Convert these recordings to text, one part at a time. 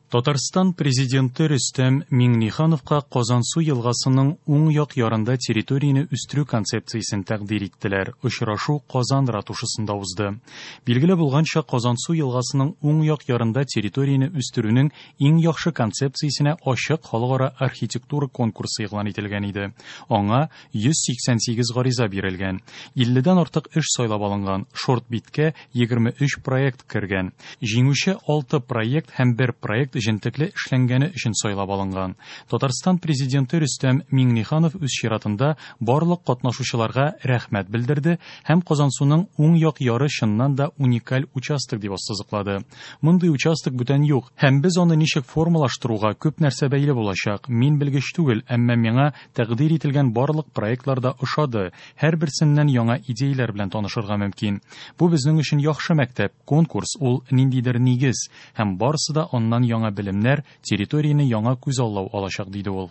Татарстан Президенты Рөстәм Миңнехановка Казансу елгасының уң як ярында территорияне үстерү концепциясен тәкъдир иттеләр. Очрашу Казан ратушасында узды. Билгеле булганча, Казансу елгасының уң як ярында территорияне үстерүнең иң яхшы концепциясенә ачык халыкара архитектура конкурсы игълан ителгән иде. Аңа 188 гариза бирелгән. 50дән артык эш сайлап алынган. Шорт-биткә 23 проект кергән. Җиңүче 6 проект һәм бер проект җентекле эшләнгәне өчен сайлап алынган. Татарстан Президенты Рөстәм Миңнеханов үз чиратында барлык катнашучыларга рәхмәт белдерде һәм Казансуның уң як яры чыннан да уникаль участок дип ассызыклады. Мондый участок бүтән юк һәм без аны ничек формалаштыруга күп нәрсә бәйле булачак. Мин белгеч түгел, әмма миңа тәкъдир ителгән барлык проектлар да ошады. Һәрберсеннән яңа идеяләр белән танышырга мөмкин. Бу безнең өчен яхшы мәктәп, конкурс ул ниндидер нигез һәм барысы да аннан яңа белемнәр, территорияне яңа күзаллау алачак, диде ул.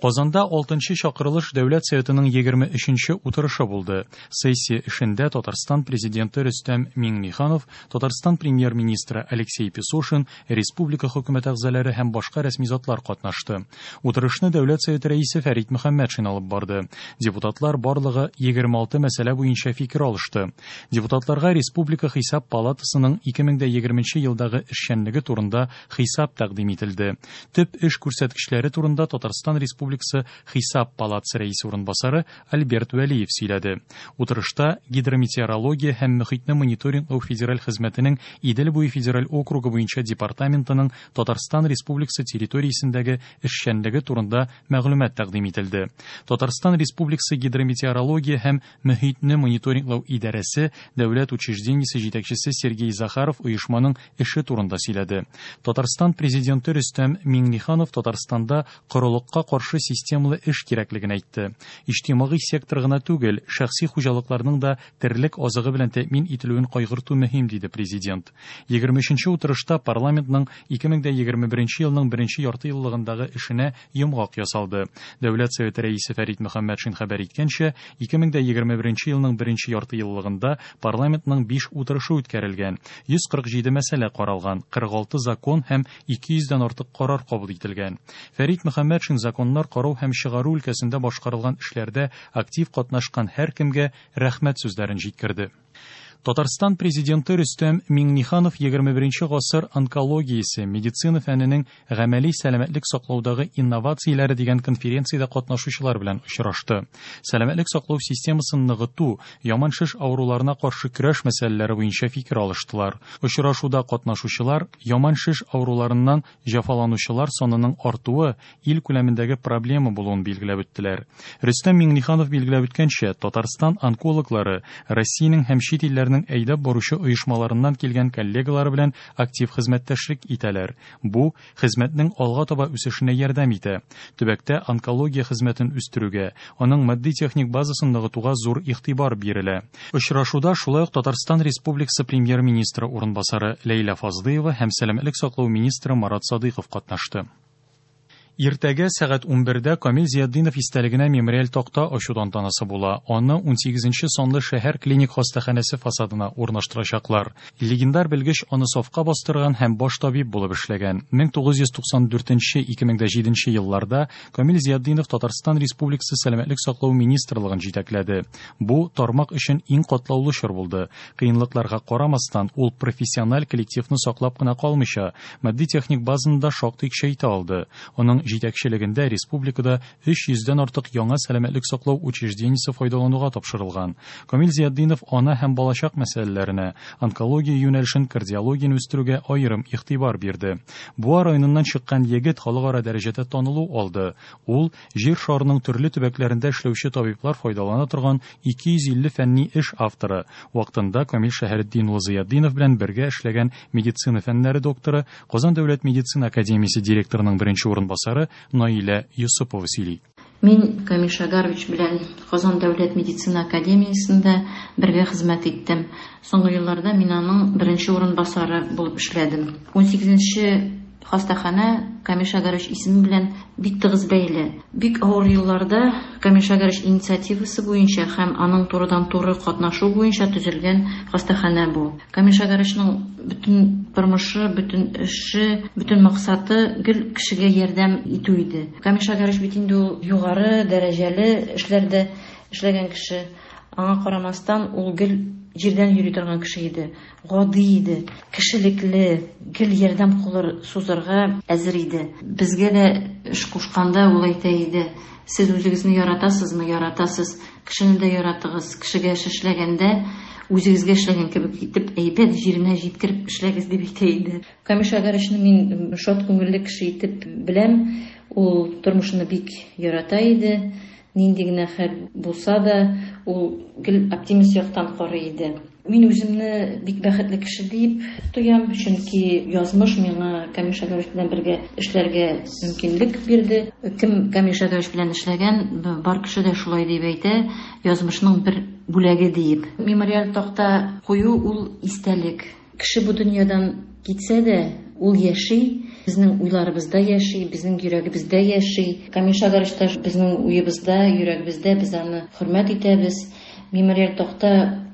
Казанда 6нчы чакырылыш Дәүләт Советының 23нче утырышы булды. Сессия эшендә Татарстан Президенты Рөстәм Миңнеханов, Татарстан Премьер-министры Алексей Песошин, республика хөкүмәт әгъзалары һәм башка рәсми затлар катнашты. Утырышны Дәүләт Советы рәисе Фәрит Мөхәммәтшин алып барды. Депутатлар барлыгы 26 мәсьәлә буенча фикер алышты. Депутатларга Республика Хисап палатасының 2020 елдагы эшчәнлеге турында хисап тәкъдим ителде. Төп эш күрсәткечләре турында Татарстан Республикасы Хисап палатасы рәисе урынбасары Альберт Вәлиев сөйләде. Утырышта гидрометеорология һәм мөхитне мониторинглау федераль хезмәтенең Идел буе федераль округы буенча департаментының Татарстан Республикасы территориясендәге эшчәнлеге турында мәгълүмат тәкъдим ителде. Татарстан Республикасы гидрометеорология һәм мөхитне мониторинглау идарәсе дәүләт учреждениесе җитәкчесе Сергей Захаров оешманың эше турында сөйләде. Татарстан Президенты Рөстәм Миңнеханов Татарстанда корылыкка каршы системалы эш кирәклеген әйтте. Иҗтимагый сектор гына түгел, шәхси хуҗалыкларның да терлек азыгы белән тәэмин ителүен кайгырту мөһим, диде президент. 23нче утырышта парламентның 2021 елның беренче ярты еллыгындагы эшенә йомгак ясалды. Дәүләт Советы рәисе Фәрит Мөхәммәтшин хәбәр иткәнчә, 2021 елның беренче ярты еллыгында парламентның 5 утырышы үткәрелгән, 147 мәсьәлә каралган, 46 закон һәм 200 дән артык карар кабул ителгән. Фәрит Мөхәммәтшин законнар карау һәм чыгару өлкәсендә башкарылган эшләрдә актив катнашкан һәркемгә рәхмәт сүзләрен җиткерде. Татарстан Президенты Рөстәм Миңнеханов 21 гасыр онкологиясе, медицина фәненең гамәли сәламәтлек саклаудагы инновацияләре дигән конференциядә катнашучылар белән очрашты. Сәламәтлек саклау системасын ныгыту, яман шеш авыруларына каршы көрәш мәсьәләләре буенча фикер алыштылар. Очрашуда катнашучылар яман шеш авыруларыннан җәфаланучылар санының артуы ил күләмендәге проблема булуын билгеләп үттеләр. Рөстәм Миңнеханов билгеләп үткәнчә, Татарстан онкологлары Россиянең һәм чит илләрнең әйдәп баручы оешмаларыннан килгән коллегалары белән актив хезмәттәшлек итәләр. Бу хезмәтнең алга таба үсешенә ярдәм итә. Төбәктә онкология хезмәтен үстерүгә, аның матди-техник базасын ныгытуга зур игътибар бирелә. Очрашуда шулай ук Татарстан Республикасы премьер-министры урынбасары Ләйлә Фазлыева һәм сәламәтлек саклау министры Марат Садыйков катнашты. Иртәгә сәгать 11дә Камил Зиятдинов истәлегенә мемориаль такта ачу тантанасы була. Аны 18 санлы шәһәр клиник хастаханәсе фасадына урнаштырачаклар. Легендар белгеч аны сафка бастырган һәм баш табиб булып эшләгән. 1994-2007 елларда Камил Зиятдинов Татарстан Республикасы Сәламәтлек саклау министрлыгын җитәкләде. Бу тармак өчен иң катлаулы чор булды. Кыенлыкларга карамастан, ул профессиональ коллективны саклап кына калмыйча, матди-техник базаны да шактый көчәйтә алды. Аның җитәкчелегендә республикада 300дән артык яңа сәламәтлек саклау учреждениесе файдалануга тапшырылган. Камил Зиятдинов ана һәм балачак мәсьәләләренә, онкология юнәлешен, кардиологияне үстерүгә аерым игътибар бирде. Буа районыннан чыккан егет халыкара дәрәҗәдә танылу алды. Ул җир шарының төрле төбәкләрендә эшләүче табиблар файдалана торган 250 фәнни эш авторы. Вакытында Камил Шәһретдин улы Зиятдинов белән бергә эшләгән медицина фәннәре докторы, Казан дәүләт медицина академиясе директорының беренче урынбасары Наилә Йосыпова сөйли. Мин Камил Шагарович белән Казан дәүләт медицина академиясендә бергә хезмәт иттем. Соңгы елларда мин аның беренче урынбасары булып эшләдем. 18 Хастаханә Камил Шәгәревич исеме белән бик тыгыз бәйле. Бик авыр елларда Камил Шәгәревич инициативасы буенча һәм аның турыдан-туры катнашу буенча төзелгән хастаханә бу. Камил Шәгәревичның бөтен тормышы, бөтен эше, бөтен максаты гел кешегә ярдәм итү иде. Камил Шәгәревич бит инде ул югары дәрәҗәле эшләрдә эшләгән кеше. Аңа карамастан, ул гел җирдән йөри торган кеше иде. Гади иде, кешелекле, гел ярдәм кулы сузарга әзер иде. Безгә дә эш кушканда ул әйтә иде: "Сез үзегезне яратасызмы? Яратасыз. Кешене дә яратыгыз. Кешегә эш эшләгәндә үзегезгә эшләгән кебек итеп, әйбәт җиренә җиткереп эшләгез", дип әйтә иде. Камил Шәгәревичны мин шат күңелле кеше итеп беләм. Ул тормышны бик ярата иде. Нинди генә хәл булса да, ул гел оптимист яктан карый иде. Мин үземне бик бәхетле кеше дип тоям, чөнки язмыш миңа Камил Шәгәревич белән бергә эшләргә мөмкинлек бирде. Кем Камил Шәгәревич белән эшләгән, бар кеше дә шулай дип әйтә, язмышның бер бүләге диеп. Мемориаль такта кую ул истәлек. Кеше бу дөньядан китсә дә, ул яши, безнең уйларыбызда яши, безнең йөрәгебездә яши. Камил Шәгәревич та безнең уебызда, йөрәгебездә, без аны хөрмәт итәбез. Мемориаль такта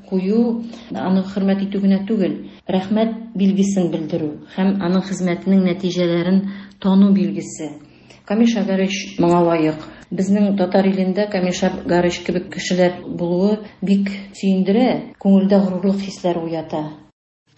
кую аны хөрмәт итү генә түгел, рәхмәт билгесен белдерү һәм аның хезмәтенең нәтиҗәләрен тану билгесе. Камил Шәгәревич моңа лаек. Безнең татар илендә Камил Шәгәревич кебек кешеләр булуы бик сөендерә, күңелдә горурлык хисләре уята.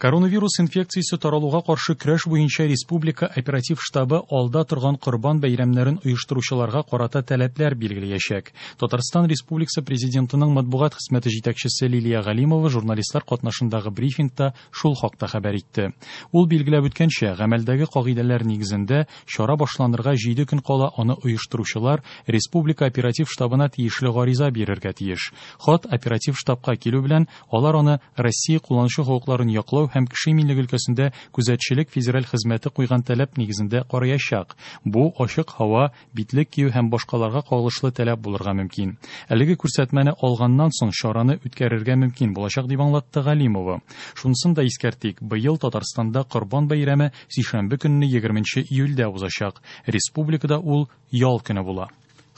Коронавирус инфекциясе таралуга каршы көрәш буенча республика оператив штабы алда торган Корбан бәйрәмнәрен оештыручыларга карата таләпләр билгеләячәк. Татарстан Республикасы Президентының матбугат хезмәте җитәкчесе Лилия Галимова журналистлар катнашындагы брифингта шул хакта хәбәр итте. Ул билгеләп үткәнчә, гамәлдәге кагыйдәләр нигезендә чара башланырга 7 көн кала аны оештыручылар республика оператив штабына тиешле гариза бирергә тиеш. Хат оператив штабка килү белән алар аны Россия кулланучы хокукларын яклау һәм кеше иминлеге өлкәсендә күзәтчелек федераль хезмәте куйган таләп нигезендә караячак. Бу ачык һава, битлек кию һәм башкаларга кагылышлы таләп булырга мөмкин. Әлеге күрсәтмәне алганнан соң чараны үткәрергә мөмкин булачак, дип аңлатты Галимова. Шунысын да искәртик, быел Татарстанда Корбан бәйрәме сишәмбе көнне 20 июльдә узачак. Республикада ул ял көне була.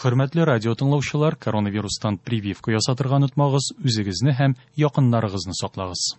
Хөрмәтле радио тыңлаучылар, коронавирустан прививка ясатырга онытмагыз, үзегезне һәм якыннарыгызны саклагыз.